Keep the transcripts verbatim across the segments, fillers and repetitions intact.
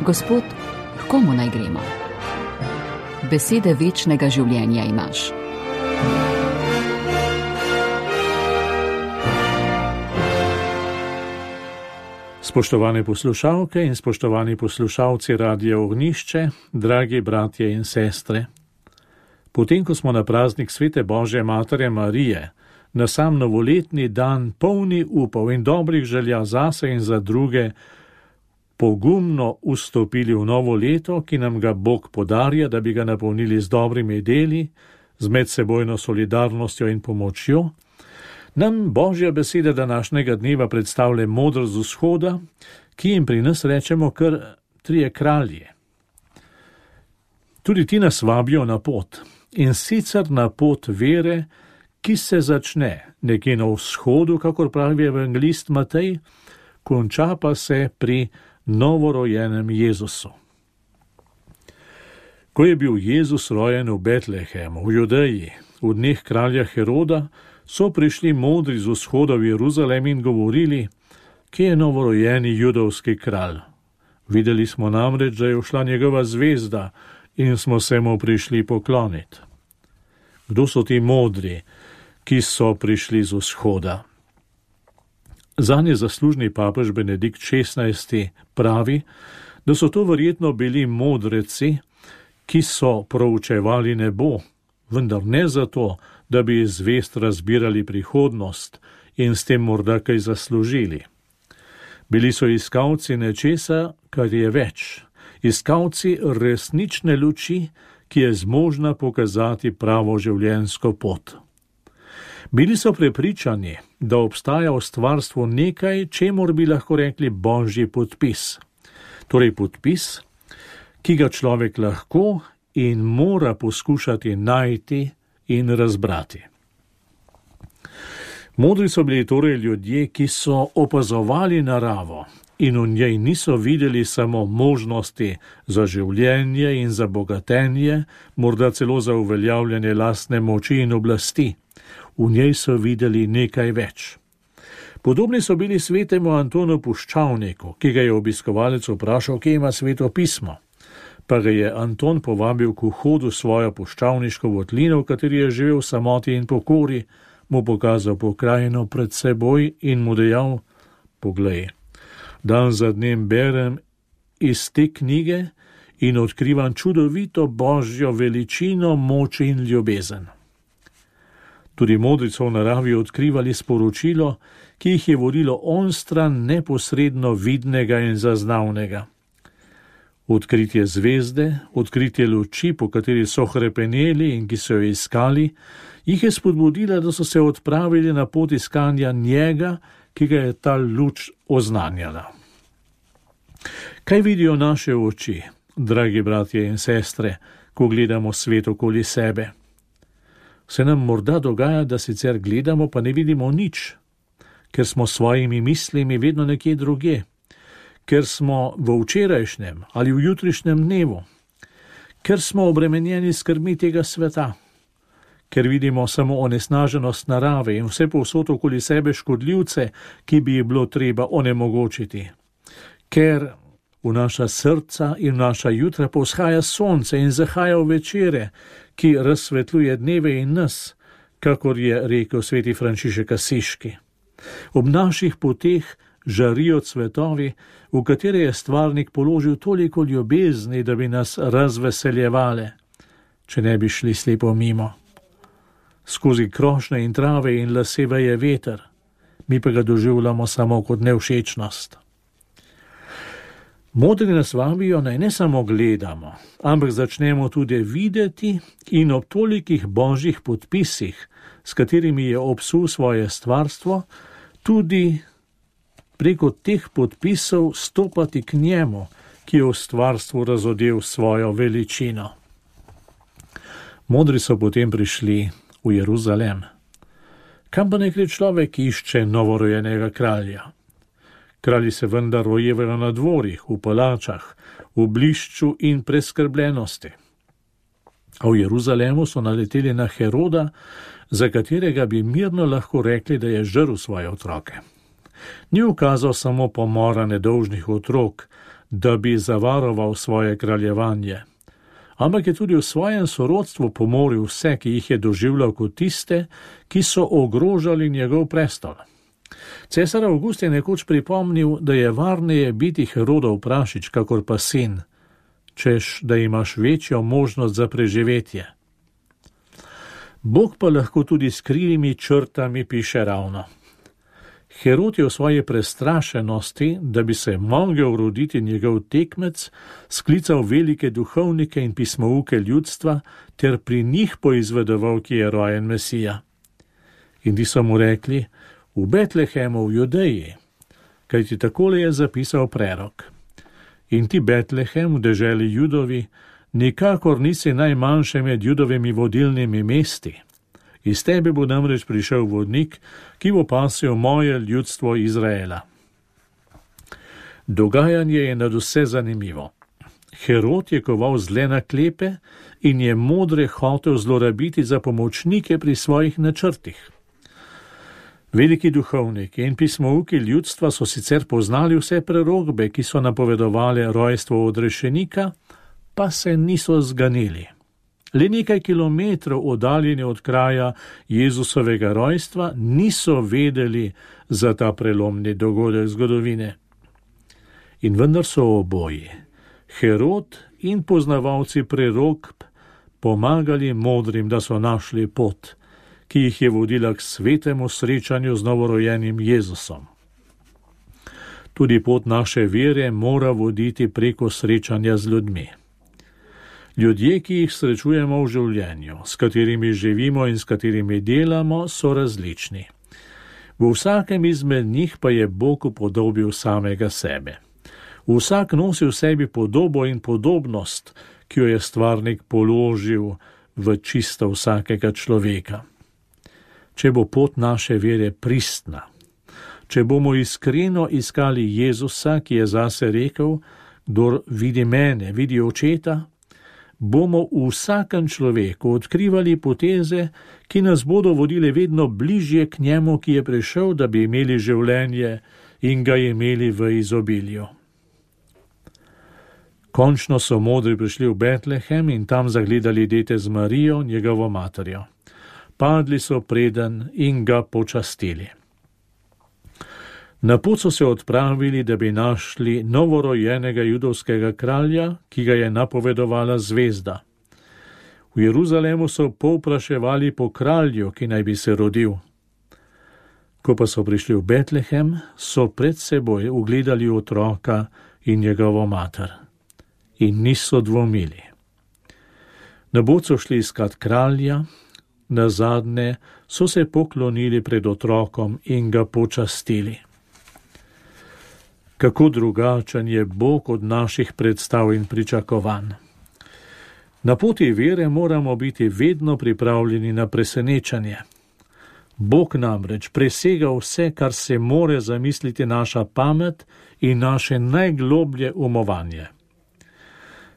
Gospod, k komu naj gremo? Besede večnega življenja imaš. Spoštovane poslušalke in spoštovani poslušalci Radia Ognjišče, dragi bratje in sestre. Potem, ko smo na praznik Svete Božje Matere Marije, na sam novoletni dan polni upov in dobrih želja zase in za druge, pogumno vstopili v novo leto, ki nam ga Bog podarja, da bi ga napolnili z dobrimi deli, z medsebojno solidarnostjo in pomočjo, nam Božja beseda današnjega dneva predstavlja modrost z vzhoda, ki jim pri nas rečemo kar trije kralji. Tudi ti nas vabijo na pot, in sicer na pot vere, ki se začne nekje na vzhodu, kakor pravi evangelist Matej, konča pa se pri novorojenem Jezusu. Ko je bil Jezus rojen v Betlehemu, v Judeji, v dneh kralja Heroda, so prišli modri z vzhoda v Jeruzalem in govorili, kje je novorojeni judovski kralj. Videli smo namreč, da je ušla njegova zvezda in smo se mu prišli pokloniti. Kdo so ti modri, ki so prišli z vzhoda? Zanje zaslužni papež Benedikt šestnajsti pravi, da so to verjetno bili modreci, ki so proučevali nebo, vendar ne zato, da bi iz zvezd razbirali prihodnost in s tem morda kaj zaslužili. Bili so iskalci nečesa, kar je več, iskalci resnične luči, ki je zmožna pokazati pravo življenjsko pot. Bili so prepričani, da obstaja v stvarstvu nekaj, čemur bi lahko rekli božji podpis. Torej podpis, ki ga človek lahko in mora poskušati najti in razbrati. Modri so bili torej ljudje, ki so opazovali naravo in v njej niso videli samo možnosti za življenje in za bogatenje, morda celo za uveljavljanje lastne moči in oblasti. V njej so videli nekaj več. Podobni so bili svetemu Antonu Puščavniku, ki ga je obiskovalec vprašal, kje ima Sveto pismo. Pa ga je Anton povabil k vhodu svojo puščavniško votlino, v kateri je živel v samoti in pokori, mu pokazal pokrajino pred seboj in mu dejal, poglej, dan za dnem berem iz te knjige in odkrivam čudovito božjo veličino, moč in ljubezen. Tudi modri so v naravi odkrivali sporočilo, ki jih je vodilo onstran neposredno vidnega in zaznavnega. Odkritje zvezde, odkritje luči, po kateri so hrepeneli in ki so jo iskali, jih je spodbudila, da so se odpravili na pot iskanja njega, ki ga je ta luč oznanjala. Kaj vidijo naše oči, dragi bratje in sestre, ko gledamo svet okoli sebe? Se nam morda dogaja, da sicer gledamo, pa ne vidimo nič, ker smo s svojimi mislimi vedno nekje drugje, ker smo v včerajšnjem ali v jutrišnjem dnevu, ker smo obremenjeni skrbmi tega sveta, ker vidimo samo onesnaženost narave in vse povsod okoli sebe škodljivce, ki bi jih bilo treba onemogočiti, ker v naša srca in v naša jutra povzhaja sonce in zahaja v večere, ki razsvetljuje dneve in nas, kakor je rekel sveti Frančišek Asiški. Ob naših poteh žarijo cvetovi, v katere je stvarnik položil toliko ljubezni, da bi nas razveseljevale, če ne bi šli slepo mimo. Skozi krošnje in trave in lase veje veter, mi pa ga doživljamo samo kot nevšečnost. Modri nas vabijo, naj ne samo gledamo, ampak začnemo tudi videti in ob tolikih božjih podpisih, s katerimi je obsul svoje stvarstvo, tudi preko teh podpisov stopati k njemu, ki je v stvarstvu razodel svojo veličino. Modri so potem prišli v Jeruzalem. Kam pa naj gre človek, ki išče novorojenega kralja? Kralji se vendar rojevajo na dvorih, v palačah, v blišču in preskrbljenosti. A v Jeruzalemu so naleteli na Heroda, za katerega bi mirno lahko rekli, da je žrl svoje otroke. Ni ukazal samo pomora nedolžnih otrok, da bi zavaroval svoje kraljevanje, ampak je tudi v svojem sorodstvu pomoril vse, ki jih je doživljal kot tiste, ki so ogrožali njegov prestol. Cesar Avgust je nekoč pripomnil, da je varneje biti Herodov prašič, kakor pa sin, češ, da imaš večjo možnost za preživetje. Bog pa lahko tudi s krivimi črtami piše ravno. Herod je v svoji prestrašenosti, da bi se mogel roditi njegov tekmec, sklical velike duhovnike in pismouke ljudstva ter pri njih poizvedoval, ki je rojen Mesija. In ti so mu rekli, v Betlehemu v Judeji, kajti takole je zapisal prerok. In ti, Betlehem, v deželi Judovi, nikakor nisi najmanjše med Judovimi vodilnimi mesti. Iz tebe bo namreč prišel vodnik, ki bo pasil moje ljudstvo Izraela. Dogajanje je nadvse zanimivo. Herod je koval zle naklepe in je modre hotel zlorabiti za pomočnike pri svojih načrtih. Veliki duhovniki in pismouki ljudstva so sicer poznali vse prerokbe, ki so napovedovali rojstvo odrešenika, pa se niso zganili. Le nekaj kilometrov oddaljeni od kraja Jezusovega rojstva niso vedeli za ta prelomni dogodek zgodovine. In vendar so oboji, Herod in poznavalci prerokb, pomagali modrim, da so našli pot, ki jih je vodila k svetemu srečanju z novorojenim Jezusom. Tudi pot naše vere mora voditi preko srečanja z ljudmi. Ljudje, ki jih srečujemo v življenju, s katerimi živimo in s katerimi delamo, so različni. V vsakem izmed njih pa je Bog upodobil samega sebe. Vsak nosi v sebi podobo in podobnost, ki jo je stvarnik položil v čisto vsakega človeka. Če bo pot naše vere pristna, če bomo iskreno iskali Jezusa, ki je zase rekel, kdor vidi mene, vidi očeta, bomo v vsakem človeku odkrivali poteze, ki nas bodo vodile vedno bližje k njemu, ki je prišel, da bi imeli življenje in ga imeli v izobilju. Končno so modri prišli v Betlehem in tam zagledali dete z Marijo, njegovo materjo. Padli so preden in ga počastili. Na pot so se odpravili, da bi našli novorojenega judovskega kralja, ki ga je napovedovala zvezda. V Jeruzalemu so povpraševali po kralju, ki naj bi se rodil. Ko pa so prišli v Betlehem, so pred seboj ugledali otroka in njegovo mater. In niso dvomili. Na pot so šli iskat kralja, nazadnje so se poklonili pred otrokom in ga počastili. Kako drugačen je Bog od naših predstav in pričakovanj. Na poti vere moramo biti vedno pripravljeni na presenečenje. Bog namreč presega vse, kar se more zamisliti naša pamet in naše najgloblje umovanje.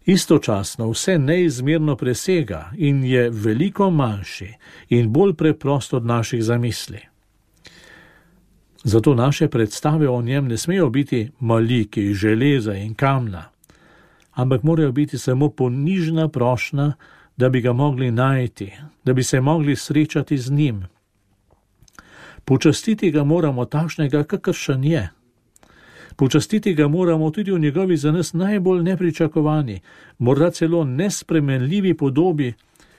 Istočasno vse neizmerno presega in je veliko manjši in bolj preprost od naših zamisli. Zato naše predstave o njem ne smejo biti maliki, železa in kamna, ampak morajo biti samo ponižna prošnja, da bi ga mogli najti, da bi se mogli srečati z njim. Počastiti ga moramo takšnega, kakršen je. Počastiti ga moramo tudi v njegovi za nas najbolj nepričakovani, morda celo nespremenljivi podobi,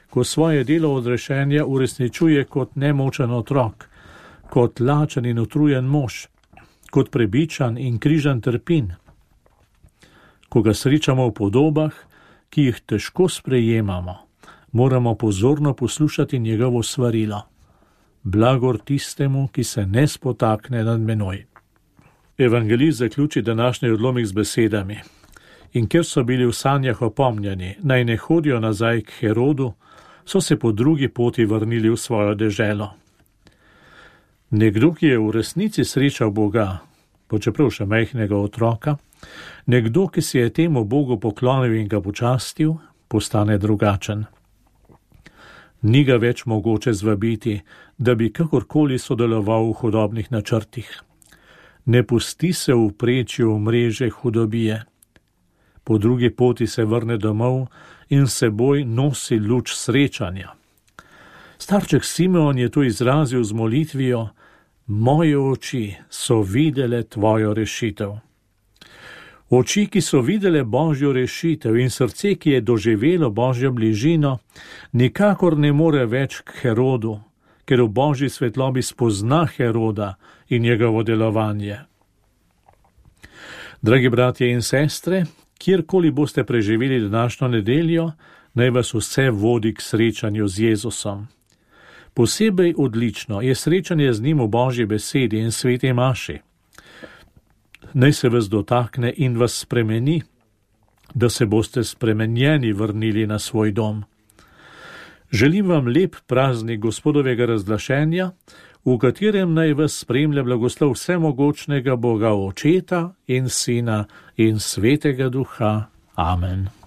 ko svoje delo odrešenja uresničuje kot nemočen otrok, kot lačen in utrujen mož, kot prebičan in križan trpin. Ko ga srečamo v podobah, ki jih težko sprejemamo, moramo pozorno poslušati njegovo svarilo. Blagor tistemu, ki se ne spotakne nad menoj. Evangelist zaključi današnji odlomek z besedami. In ker so bili v sanjah opomnjeni, naj ne hodijo nazaj k Herodu, so se po drugi poti vrnili v svojo deželo. Nekdo, ki je v resnici srečal Boga, počeprav še majhnega otroka, nekdo, ki se je temu Bogu poklonil in ga počastil, postane drugačen. Ni ga več mogoče zvabiti, da bi kakorkoli sodeloval v hudobnih načrtih. Ne pusti se vpreči v mreže hudobije, po drugi poti se vrne domov in s seboj nosi luč srečanja. Starček Simeon je tu izrazil z molitvijo: moje oči so videle tvojo rešitev. Oči, ki so videle Božjo rešitev, in srce, ki je doživelo Božjo bližino, nikakor ne more več k Herodu, ker v Božji svetlobi spozna Heroda in njegovo delovanje. Dragi bratje in sestre, kjerkoli boste preživeli današnjo nedeljo, naj vas vse vodi k srečanju z Jezusom. Posebej odlično je srečanje z njim v Božji besedi in sveti maši. Naj se vas dotakne in vas spremeni, da se boste spremenjeni vrnili na svoj dom. Želim vam lep praznik Gospodovega razglašenja, v katerem naj vas spremlja blagoslov vsemogočnega Boga Očeta in Sina in Svetega Duha. Amen.